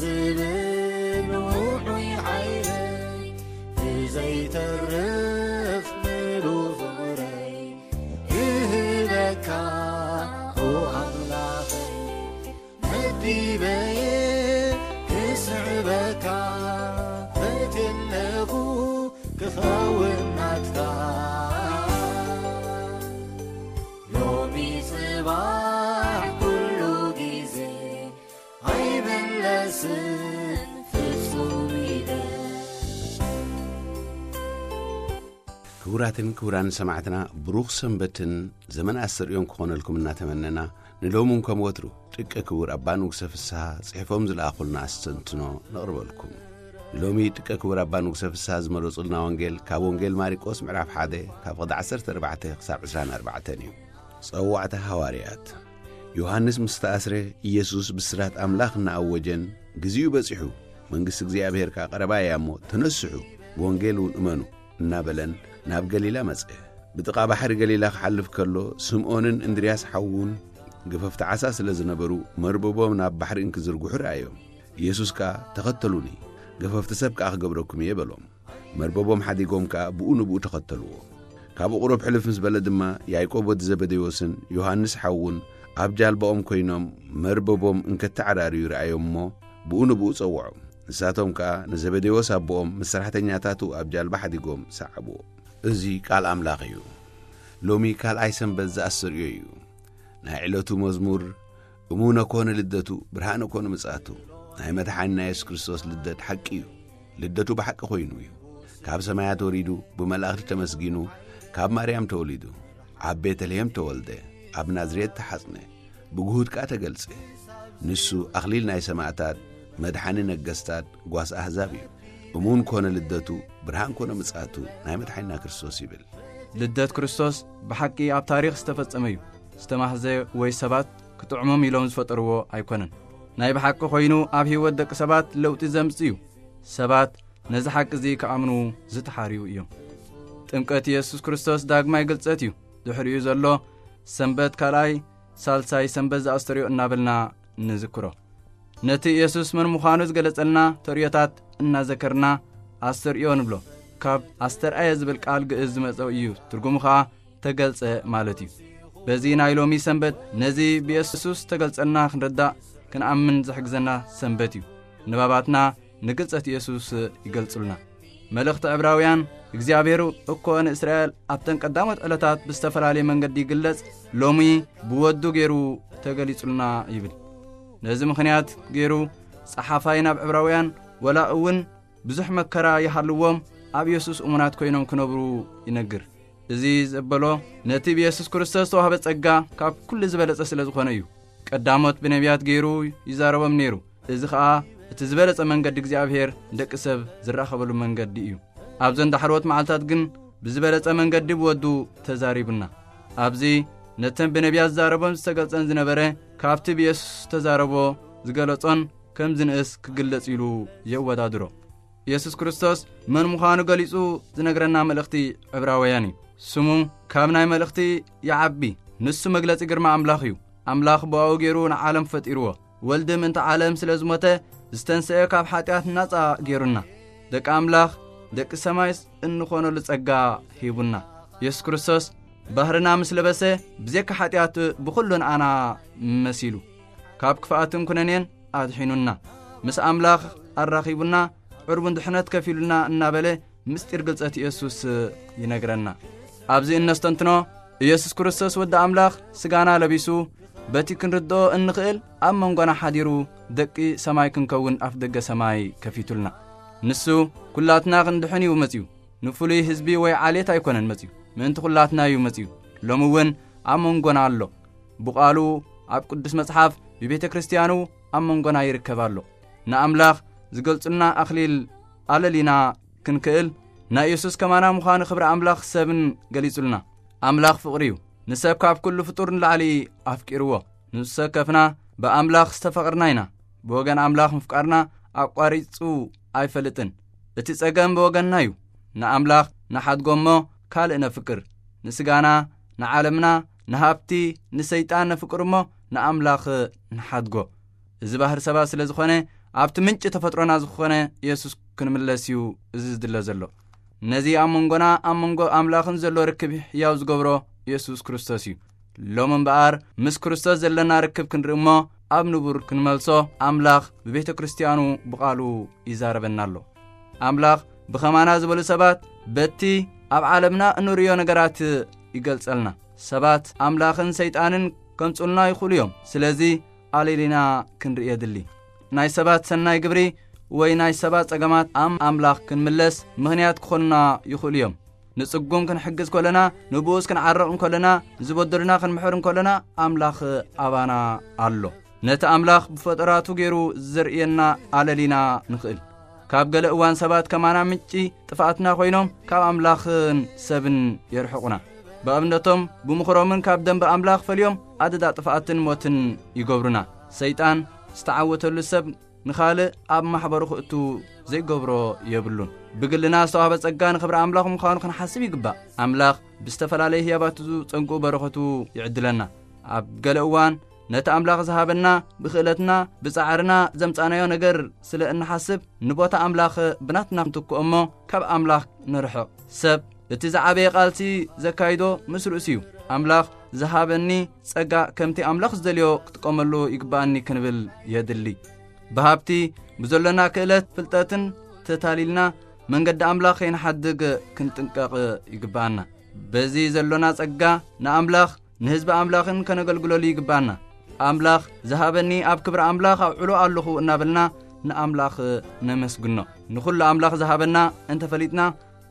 ዝብል ውዑይ ሓይለይ ብዘይተርፍ ምሉእ ፍቕረይ ክህበካ ኦ ኣምላኸይ። መዲበየ ክስዕበካ ፈትየለኹ ክኸውን ናትካ። ሎሚ ጽባሕ ኩሉ ግዜ ኣይምለስን ፍጹም ኢለ። ክቡራትን ክቡራን ሰማዕትና፣ ብሩኽ ሰንበትን ዘመን ኣስተርእዮን ክኾነልኩም እናተመነና፣ ንሎሚ እውን ከም ወትሩ ጥቀ ክቡር ኣባ ንጉሰ ፍስሃ ጽሒፎም ዝለኣኹልና ኣስተንትኖ ነቕርበልኩም። ንሎሚ ጥቀ ክቡር ኣባ ንጉሰ ፍስሃ ዝመረጹልና ወንጌል ካብ ወንጌል ማርቆስ ምዕራፍ ሓደ ካብ ቕዲ ዓሰርተ ኣርባዕተ ክሳብ ዕስራን ኣርባዕተን እዩ። ጸዋዕታ ሃዋርያት። ዮሃንስ ምስ ተኣስረ፣ ኢየሱስ ብስራት ኣምላኽ እናኣወጀን፣ "ግዜኡ በጺሑ፣ መንግስቲ እግዚኣብሔር ከኣ ቀረባ እያ እሞ፣ ተነስሑ፣ ብወንጌል እውን እመኑ" እናበለን ናብ ገሊላ መጸ። ብጥቓ ባሕሪ ገሊላ ክሓልፍ ከሎ፣ ስምዖንን እንድርያስ ሓዉን ገፈፍቲ ዓሳ ስለ ዝነበሩ፣ መርበቦም ናብ ባሕሪ እንክዝርግሑ ረኣዮም። ኢየሱስ ከኣ፣ "ተኸተሉኒ፣ ገፈፍቲ ሰብ ከኣ ክገብረኩም እየ" በሎም። መርበቦም ሓዲጎም ከኣ ብኡ ንብኡ ተኸተልዎ። ካብኡ ቁሩብ ሕልፍ ምስ በለ ድማ፣ ያዕቆብ ወዲ ዘበዴዎስን ዮሃንስ ሓዉን ኣብ ጃልባኦም ኮይኖም መርበቦም እንከተዓራርዩ ረኣዮም እሞ፣ ብኡ ንብኡ ጸውዖም። ንሳቶም ከኣ ንዘበዴዎስ ኣቦኦም ምስ ሰራሕተኛታቱ ኣብ ጃልባ ሓዲጎም ሰዓብዎ። እዚ ቃል ኣምላኽ እዩ። ሎሚ ካልኣይ ሰንበት ዘኣስተርእዮ እዩ። ናይ ዕለቱ መዝሙር፣ "እሙነ ኮነ ልደቱ፣ ብርሃነ ኮነ ምጽኣቱ።" ናይ መድሓኒና የሱስ ክርስቶስ ልደት ሓቂ እዩ። ልደቱ ብሓቂ ኮይኑ እዩ። ካብ ሰማያት ወሪዱ፣ ብመላእኽቲ ተመስጊኑ፣ ካብ ማርያም ተወሊዱ፣ ኣብ ቤተልሔም ተወልደ፣ ኣብ ናዝሬት ተሓጽነ፣ ብግሁድ ከኣ ተገልጸ። ንሱ ኣኽሊል ናይ ሰማእታት፣ መድሓኒ ነገስታት፣ ጓስ ኣህዛብ እዩ። እሙን ኮነ ልደቱ፣ ብርሃን ኮነ ምጽኣቱ ናይ መድሓኒና ክርስቶስ ይብል። ልደት ክርስቶስ ብሓቂ ኣብ ታሪኽ ዝተፈጸመ እዩ። ዝተማህዘ ወይ ሰባት ክጥዕሞም ኢሎም ዝፈጠርዎ ኣይኮነን። ናይ ብሓቂ ኮይኑ ኣብ ህይወት ደቂ ሰባት ለውጢ ዘምጽእ እዩ። ሰባት ነዚ ሓቂ እዚ ክኣምኑ ዝተሓርዩ እዮም። ጥምቀት ኢየሱስ ክርስቶስ ዳግማይ ግልጸት እዩ። ድሕሪኡ ዘሎ ሰንበት ካልኣይ፣ ሳልሳይ ሰንበት ዘኣስተርእዮ እናበልና ንዝክሮ። ነቲ ኢየሱስ መን ምዃኑ ዝገለጸልና ተርእዮታት እናዘከርና ኣስተርእዮ ንብሎ። ካብ ኣስተርኣየ ዝብል ቃል ግእዝ ዝመጸ እዩ። ትርጉሙ ኸኣ ተገልጸ ማለት እዩ። በዚ ናይ ሎሚ ሰንበት ነዚ ብኢየሱስ ተገልጸልና ክንርዳእ ክንኣምን ዝሕግዘና ሰንበት እዩ። ንባባትና ንግልጸት ኢየሱስ ይገልጹልና። መልእኽቲ ዕብራውያን፣ እግዚኣብሔር እኮ ንእስራኤል ኣብተን ቀዳሞት ዕለታት ብዝተፈላለየ መንገዲ ይግለጽ፣ ሎሚ ብወዱ ገይሩ ተገሊጹልና ይብል። ነዚ ምኽንያት ገይሩ ጸሓፋይ ናብ ዕብራውያን፣ ወላ እውን ብዙሕ መከራ ይሃልዎም፣ ኣብ ኢየሱስ እሙናት ኮይኖም ክነብሩ ይነግር። እዚ ዘበሎ ነቲ ብኢየሱስ ክርስቶስ ዝተዋህበ ጸጋ ካብ ኩሉ ዝበለጸ ስለ ዝኾነ እዩ። ቀዳሞት ብነቢያት ገይሩ ይዛረቦም ነይሩ። እዚ ኸኣ እቲ ዝበለጸ መንገዲ እግዚኣብሔር ንደቂ ሰብ ዝራኸበሉ መንገዲ እዩ። ኣብዘን ዳሕሮት መዓልታት ግን ብዝበለጸ መንገዲ ብወዱ ተዛሪቡና። ኣብዚ ነተን ብነቢያት ዝዛረቦን ዝተገልጸን ዝነበረ ካብቲ ብኢየሱስ ዝተዛረቦ ዝገለጾን ከም ዝንእስ ክግለጽ ኢሉ የወዳድሮ። ኢየሱስ ክርስቶስ መን ምዃኑ ገሊጹ ዝነግረና መልእኽቲ ዕብራውያን እዩ። ስሙ ካብ ናይ መልእኽቲ ይዓቢ። ንሱ መግለጺ ግርማ ኣምላኽ እዩ። ኣምላኽ ብኣኡ ገይሩ ንዓለም ፈጢርዎ። ወልዲ ምእንቲ ዓለም ስለ ዝሞተ ዝተንስአ ካብ ሓጢኣት ናጻ ገይሩና። ደቂ ኣምላኽ ደቂ ሰማይ እንኾነሉ ጸጋ ሂቡና። ኢየሱስ ክርስቶስ ባህርና ምስ ለበሰ ብዘካ ሓጢኣት ብኹሉ ንኣና መሲሉ። ካብ ክፍኣትን ኩነኔን ኣድሒኑና። ምስ ኣምላኽ ኣራኺቡና፣ ዕርቡን ድሕነት ከፊሉና እናበለ ምስጢር ግልጸት ኢየሱስ ይነግረና። ኣብዚ እነስተንትኖ ኢየሱስ ክርስቶስ ወዲ ኣምላኽ ስጋና ለቢሱ በቲ ክንርድኦ እንኽእል ኣብ መንጎና ሓዲሩ ደቂ ሰማይ ክንከውን ኣፍ ደገ ሰማይ ከፊቱልና። ንሱ ኩላትና ክንድሕን እዩ መጺኡ። ንፍሉይ ህዝቢ ወይ ዓሌት ኣይኮነን መጺኡ፣ ምእንቲ ኩላትና እዩ መጺኡ። ሎሚ እውን ኣብ መንጎና ኣሎ። ብቓሉ ኣብ ቅዱስ መጽሓፍ ብቤተ ክርስቲያኑ ኣብ መንጎና ይርከብ ኣሎ። ንኣምላኽ ዝገልጹልና ኣኽሊል ኣለሊና ክንክእል ናይ ኢየሱስ ከማና ምዃኑ ክብሪ ኣምላኽ ሰብን ገሊጹልና። ኣምላኽ ፍቕሪ እዩ። ንሰብ ካብ ኩሉ ፍጡር ንላዕሊ ኣፍቂርዎ። ንሱ ሰብ ከፍና ብኣምላኽ ዝተፈቕርና ኢና። ብወገን ኣምላኽ ምፍቃርና ኣቋሪጹ ኣይፈልጥን። እቲ ጸገም ብወገንና እዩ። ንኣምላኽ ንሓድጎ እሞ ካልእ ነፍቅር። ንስጋና፣ ንዓለምና፣ ንሃብቲ፣ ንሰይጣን ነፍቅር እሞ ንኣምላኽ ንሓድጎ። እዚ ባህሪ ሰባት ስለ ዝኾነ ኣብቲ ምንጪ ተፈጥሮና ዝኾነ የሱስ ክንምለስ እዩ እዚ ዝድለ ዘሎ። ነዚ ኣብ መንጎና ኣብ መንጎ ኣምላኽን ዘሎ ርክብ ሕያው ዝገብሮ የሱስ ክርስቶስ እዩ። ሎም እምበኣር ምስ ክርስቶስ ዘለና ርክብ ክንርኢ እሞ ኣብ ንቡር ክንመልሶ ኣምላኽ ብቤተ ክርስትያኑ ብቓሉ ይዛረበና ኣሎ። ኣምላኽ ብኸማና ዝበሉ ሰባት በቲ ኣብ ዓለምና እንርእዮ ነገራት ይገልጸልና። ሰባት ኣምላኽን ሰይጣንን ከምጹልና ይኽእሉ እዮም። ስለዚ ኣለሊና ክንርኢ የድሊ። ናይ ሰባት ሰናይ ግብሪ ወይ ናይ ሰባት ጸገማት ኣም ኣምላኽ ክንምለስ ምኽንያት ክኾኑና ይኽእሉ እዮም። ንጽጉም ክንሕግዝ ከለና፣ ንብኡስ ክንዓርቕ እንከለና፣ ዝበደሉና ክንምሕር እንከለና ኣምላኽ ኣባና ኣሎ። ነቲ ኣምላኽ ብፈጠራቱ ገይሩ ዘርእየና ኣለሊና ንኽእል። ካብ ገለ እዋን ሰባት ከማና ምንጪ ጥፍኣትና ኮይኖም ካብ ኣምላኽን ሰብን የርሕቑና። ብኣብነቶም ብምኽሮምን ካብ ደንበ ኣምላኽ ፈልዮም ኣደዳ ጥፍኣትን ሞትን ይገብሩና። ሰይጣን ዝተዓወተሉ ሰብ ንኻልእ ኣብ ማሕበሩ ክእቱ ዘይገብሮ የብሉን። ብግልና ዝተዋህበ ጸጋ ንኽብሪ ኣምላኽ ምዃኑ ክንሓስብ ይግባእ። ኣምላኽ ብዝተፈላለየ ህያባቱ ጸንቁ በረኸቱ ይዕድለና። ኣብ ገለ እዋን ነቲ ኣምላኽ ዝሃበና ብኽእለትና ብጻዕርና ዘምጻናዮ ነገር ስለ እንሓስብ ንቦታ ኣምላኽ ብናትና ንትክኦ እሞ ካብ ኣምላኽ ንርሕቕ። ሰብ እቲ ዝዓበየ ቃልሲ ዘካይዶ ምስ ርእሱ እዩ። ኣምላኽ ዝሃበኒ ጸጋ ከምቲ ኣምላኽ ዝደልዮ ክጥቀመሉ ይግባኣኒ ክንብል የድሊ። ብሃብቲ ብዘሎና ክእለት ፍልጠትን ተታሊልና መንገዲ ኣምላኽ ከይንሓድግ ክንጥንቀቕ ይግባኣና። በዚ ዘሎና ጸጋ ንኣምላኽ ንህዝቢ ኣምላኽን ከነገልግለሉ ይግባኣና። ኣምላኽ ዝሃበኒ ኣብ ክብሪ ኣምላኽ ኣውዕሎ ኣለኹ እናበልና ንኣምላኽ ነመስግኖ። ንኹሉ ኣምላኽ ዝሃበና እንተፈሊጥና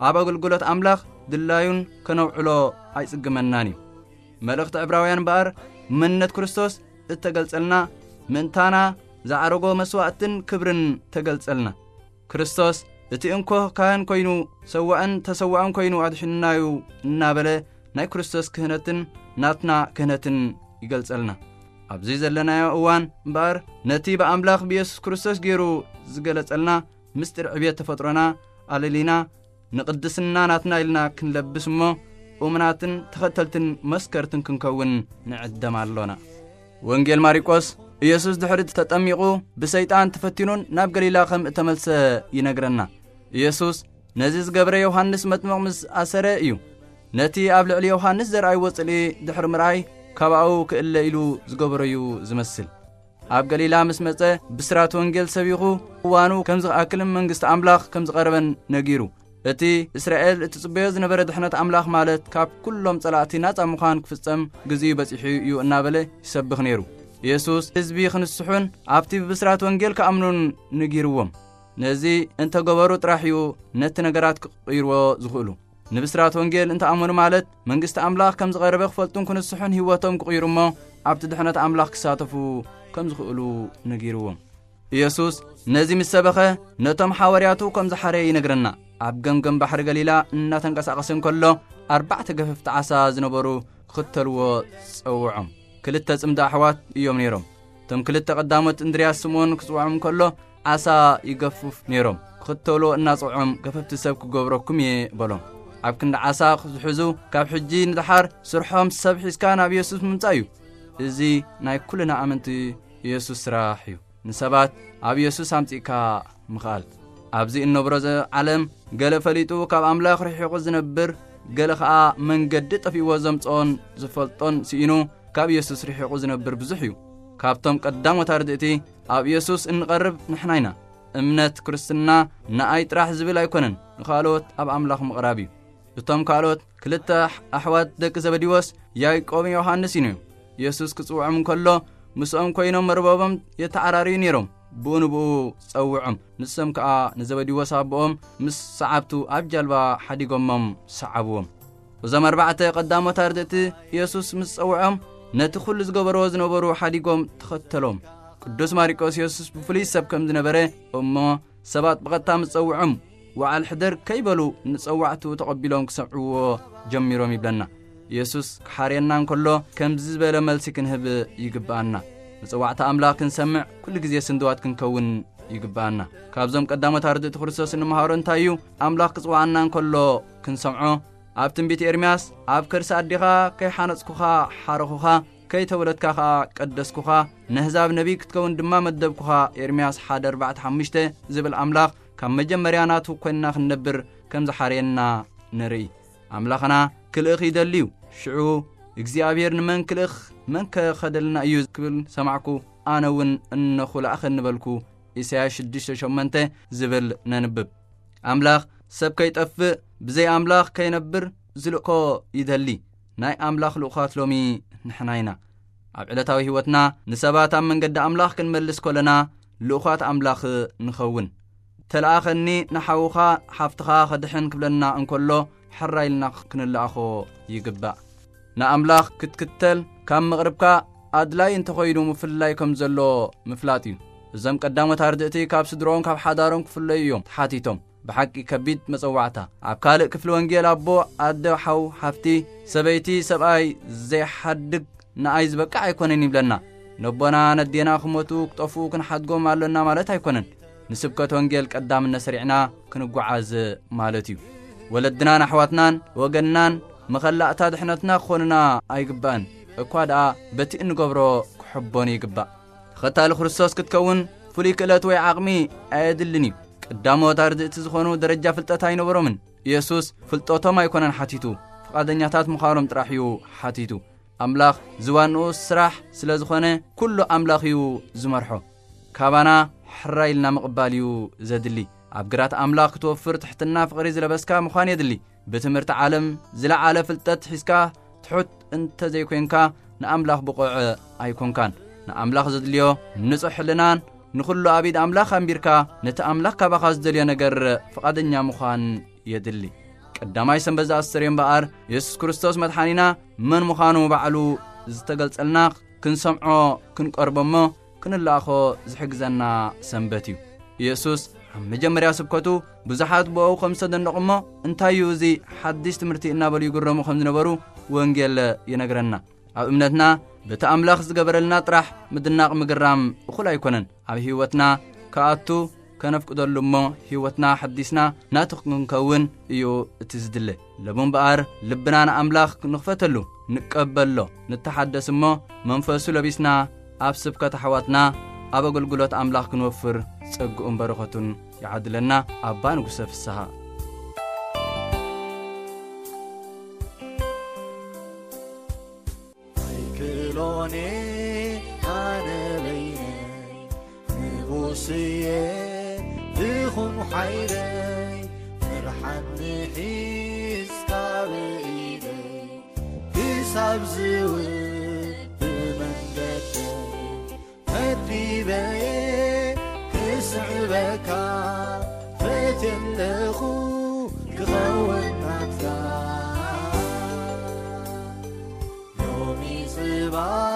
ኣብ ኣገልግሎት ኣምላኽ ድላዩን ከነውዕሎ ኣይጽግመናን እዩ። መልእኽቲ ዕብራውያን እምበኣር መንነት ክርስቶስ እተገልጸልና ምእንታና ዝዓረጎ መስዋእትን ክብርን ተገልጸልና። ክርስቶስ እቲ እንኮ ካህን ኮይኑ ሰዋእን ተሰዋእን ኮይኑ ኣድሒኑናዩ እናበለ ናይ ክርስቶስ ክህነትን ናትና ክህነትን ይገልጸልና። ኣብዚ ዘለናዮ እዋን እምበኣር ነቲ ብኣምላኽ ብየሱስ ክርስቶስ ገይሩ ዝገለጸልና ምስጢር ዕብየት ተፈጥሮና ኣለሊና ንቕድስና ናትና ኢልና ክንለብስ እሞ እሙናትን ተኸተልትን መስከርትን ክንከውን ንዕደም ኣሎና። ወንጌል ማርቆስ ኢየሱስ ድሕሪ ተጠሚቑ ብሰይጣን ተፈቲኑን ናብ ገሊላ ከም እተመልሰ ይነግረና። ኢየሱስ ነዚ ዝገብረ ዮሃንስ መጥምቕ ምስ ኣሰረ እዩ። ነቲ ኣብ ልዕሊ ዮሃንስ ዘርኣይዎ ጽልኢ ድሕሪ ምርኣይ ካባኡ ክእለ ኢሉ ዝገበሮ እዩ ዝመስል። ኣብ ገሊላ ምስ መጸ ብስራት ወንጌል ሰቢኹ እዋኑ ከም ዝኣክልን መንግስቲ ኣምላኽ ከም ዝቐረበን ነጊሩ። እቲ እስራኤል እትጽበዮ ዝነበረ ድሕነት ኣምላኽ ማለት ካብ ኩሎም ጸላእቲ ናጻ ምዃን ክፍጸም ግዜኡ በጺሑ እዩ እናበለ ይሰብኽ ነይሩ። ኢየሱስ ህዝቢ ክንስሑን ኣብቲ ብብስራት ወንጌል ክኣምኑን ነጊርዎም። ነዚ እንተገበሩ ጥራሕ እዩ ነቲ ነገራት ክቕይርዎ ዝኽእሉ። ንብስራት ወንጌል እንተኣመኑ ማለት መንግስቲ ኣምላኽ ከም ዝቐረበ ክፈልጡን ክንስሑን ህይወቶም ክቕይሩ እሞ ኣብቲ ድሕነት ኣምላኽ ክሳተፉ ከም ዝኽእሉ ነጊርዎም። ኢየሱስ ነዚ ምስ ሰበኸ ነቶም ሓዋርያቱ ከም ዝሓረየ ይነግረና። ኣብ ገምገም ባሕሪ ገሊላ እናተንቀሳቐሰ እንከሎ ኣርባዕተ ገፈፍቲ ዓሳ ዝነበሩ ክኽተልዎ ጸውዖም። ክልተ ጽምዲ ኣሕዋት እዮም ነይሮም። እቶም ክልተ ቀዳሞት እንድርያስ ስምዖን ክጽውዖም እንከሎ ዓሳ ይገፍፍ ነይሮም። ክኽተልዎ እናጸውዖም ገፈፍቲ ሰብ ክገብረኩም እየ በሎም። ኣብ ክንዲ ዓሳ ዝሕዙ ካብ ሕጂ ንደሓር ስርሖም ሰብ ሒዝካ ናብ ኢየሱስ ምምጻእ እዩ። እዚ ናይ ኩልና ኣመንቲ ኢየሱስ ስራሕ እዩ። ንሰባት ኣብ ኢየሱስ ኣምጺእካ ምኽኣል። ኣብዚ እንነብሮ ዘ ዓለም ገለ ፈሊጡ ካብ ኣምላኽ ርሒቑ ዝነብር፣ ገለ ኸኣ መንገዲ ጠፊእዎ ዘምጽኦን ዝፈልጦን ስኢኑ ካብ ኢየሱስ ርሒቑ ዝነብር ብዙሕ እዩ። ካብቶም ቀዳሞት ኣርድእቲ ኣብ ኢየሱስ እንቐርብ ንሕና ኢና። እምነት ክርስትና ንኣይ ጥራሕ ዝብል ኣይኮነን፣ ንኻልኦት ኣብ ኣምላኽ ምቕራብ እዩ። እቶም ካልኦት ክልተ ኣሕ-፣ ኣሕዋት ደቂ ዘበዲዎስ ያዕቆብን ዮሃንስን እዮም። ኢየሱስ ክጽውዖም እንከሎ ምስኦም ኮይኖም መርበቦም የተዓራርዩ ነይሮም። ብኡ ንብኡ ጸውዖም። ንሶም ከኣ ንዘበዲዎስ ኣቦኦም ምስ ሰዓብቱ ኣብ ጃልባ ሓዲጎሞም ሰዓብዎም። እዞም ኣርባዕተ ቀዳሞት ኣርድእቲ ኢየሱስ ምስ ጸውዖም ነቲ ኩሉ ዝገበርዎ ዝነበሩ ሓዲጎም ተኸተሎም። ቅዱስ ማርቆስ ኢየሱስ ብፍሉይ ሰብ ከም ዝነበረ እሞ ሰባት ብቐጥታ ምስ ጸውዖም ወዓል ሕደር ከይበሉ ንጸዋዕቱ ተቐቢሎም ክሰምዕዎ ጀሚሮም ይብለና። ኢየሱስ ክሓርየና እንከሎ ከምዚ ዝበለ መልሲ ክንህብ ይግብኣና። መጸዋዕታ ኣምላኽ ክንሰምዕ ኩሉ ግዜ ስንድዋት ክንከውን ይግብኣና። ካብዞም ቀዳሞት ኣርድእቲ ክርስቶስ እንመሃሮ እንታይ እዩ? ኣምላኽ ክጽውዓና እንከሎ ክንሰምዖ። ኣብ ትንቢት ኤርምያስ ኣብ ከርሲ ኣዴኻ ከይሓነጽኩኻ ሓረኹኻ፣ ከይተወለድካ ኸኣ ቀደስኩኻ፣ ነህዛብ ነቢይ ክትከውን ድማ መደብኩኻ፣ ኤርምያስ ሓደ ኣርባዕተ ሓሙሽተ ዝብል ኣምላኽ፣ ካብ መጀመርያ ናቱ ኮይንና ክንነብር ከም ዝሓርየና ንርኢ። ኣምላኽና ክልእኽ ይደሊ እዩ። ሽዑ እግዚኣብሔር ንመን ክልእኽ፣ መን ከ ከደልና እዩ ክብል ሰማዕኩ። ኣነ እውን እነኹ ለኣኸኒ በልኩ። ኢሳያስ ሽዱሽተ ሸሞንተ ዝብል ነንብብ። ኣምላኽ ሰብ ከይጠፍእ፣ ብዘይ ኣምላኽ ከይነብር ዝልእኮ ይደሊ። ናይ ኣምላኽ ልኡኻት ሎሚ ንሕና ኢና። ኣብ ዕለታዊ ህይወትና ንሰባት ኣብ መንገዲ ኣምላኽ ክንመልስ ከለና ልኡኻት ኣምላኽ ንኸውን። ተለኣኸኒ ንሓውኻ ሓፍትኻ ከድሕን ክብለና እንከሎ ሕራይ ኢልና ክንለኣኾ ይግባእ። ንኣምላኽ ክትክተል ካብ መቕርብካ ኣድላይ እንተኾይኑ ምፍልላይ ከም ዘሎ ምፍላጥ እዩ። እዞም ቀዳሞት ኣርድእቲ ካብ ስድሮኦም ካብ ሓዳሮም ክፍለዩ እዮም ተሓቲቶም። ብሓቂ ከቢድ መጸዋዕታ። ኣብ ካልእ ክፍሊ ወንጌል ኣቦ፣ ኣደ፣ ሓው፣ ሓፍቲ፣ ሰበይቲ፣ ሰብኣይ ዘይሓድግ ንኣይ ዝበቅዕ ኣይኮነን ይብለና። ነቦና ነዴና ክሞቱ ክጠፍኡ ክንሓድጎም ኣሎና ማለት ኣይኮነን። ንስብከት ወንጌል ቀዳምነት ሰሪዕና ክንጓዓዝ ማለት እዩ። ወለድናን ኣሕዋትናን ወገንናን መኸላእታ ድሕነትና ክኾኑና ኣይግባእን። እኳ ደኣ በቲ እንገብሮ ክሕቦኑ ይግባእ። ተኸታሊ ክርስቶስ ክትከውን ፍሉይ ክእለት ወይ ዓቕሚ ኣየድልን እዩ። ቀዳሞት ኣርድእቲ ዝኾኑ ደረጃ ፍልጠት ኣይነበሮምን። ኢየሱስ ፍልጠቶም ኣይኮነን ሓቲቱ፣ ፍቓደኛታት ምዃኖም ጥራሕ እዩ ሓቲቱ። ኣምላኽ ዝዋንኡ ስራሕ ስለ ዝኾነ፣ ኩሉ ኣምላኽ እዩ ዝመርሖ። ካባና ሕራይ ኢልና ምቕባል እዩ ዘድሊ። ኣብ ግራት ኣምላኽ ክትወፍር ትሕትና ፍቕሪ ዝለበስካ ምዃን የድሊ። ብትምህርቲ ዓለም ዝለዓለ ፍልጠት ሒዝካ ትሑት እንተ ዘይኮንካ፣ ንኣምላኽ ብቑዕ ኣይኮንካን። ንኣምላኽ ዘድልዮ ንጹሕ ሕልናን ንኹሉ ኣብ ኢድ ኣምላኽ ኣንቢርካ፣ ነቲ ኣምላኽ ካባኻ ዝደልዮ ነገር ፍቓደኛ ምዃን የድሊ። ቀዳማይ ሰንበት ዝኣሰር እምበኣር፣ የሱስ ክርስቶስ መድሓኒና መን ምዃኑ ባዕሉ ዝተገልጸልና ክንሰምዖ፣ ክንቀርቦ እሞ ክንለኣኾ ዝሕግዘና ሰንበት እዩ። ኢየሱስ ኣብ መጀመርያ ስብከቱ ብዙሓት ብእኡ ከም ዝተደነቑ እሞ፣ እንታይ እዩ እዚ ሓድሽ ትምህርቲ እናበሉ ይግረሙ ከም ዝነበሩ ወንጌል ይነግረና። ኣብ እምነትና በቲ ኣምላኽ ዝገበረልና ጥራሕ ምድናቕ ምግራም እኹል ኣይኮነን። ኣብ ህይወትና ክኣቱ ከነፍቅደሉ እሞ ህይወትና ሓዲስና ናቱ ክንከውን እዩ እቲ ዝድለ። ሎሚ እምበኣር ልብና ንኣምላኽ ንኽፈተሉ፣ ንቀበሎ፣ ንተሓደስ እሞ መንፈሱ ለቢስና ኣብ ስብከት ኣሕዋትና ኣብ ኣገልግሎት ኣምላኽ ክንወፍር ጸግኡን በረኸቱን ይዓድለና። ኣባ ንጉሰ ፍስሃ። ኣይክእሎን ኣነ በይነይ፣ ንጉስየ ትኹን ሓይለይ፣ ፍርሓት ንሒዝካ ብኢደይ፣ ክሳብ ዝውብ መንገደይ፣ መዲበየ ክስዕበካ፣ ፈትየ ኣለኹ ክኸውን ናትካ። ሎሚ ጽባሕ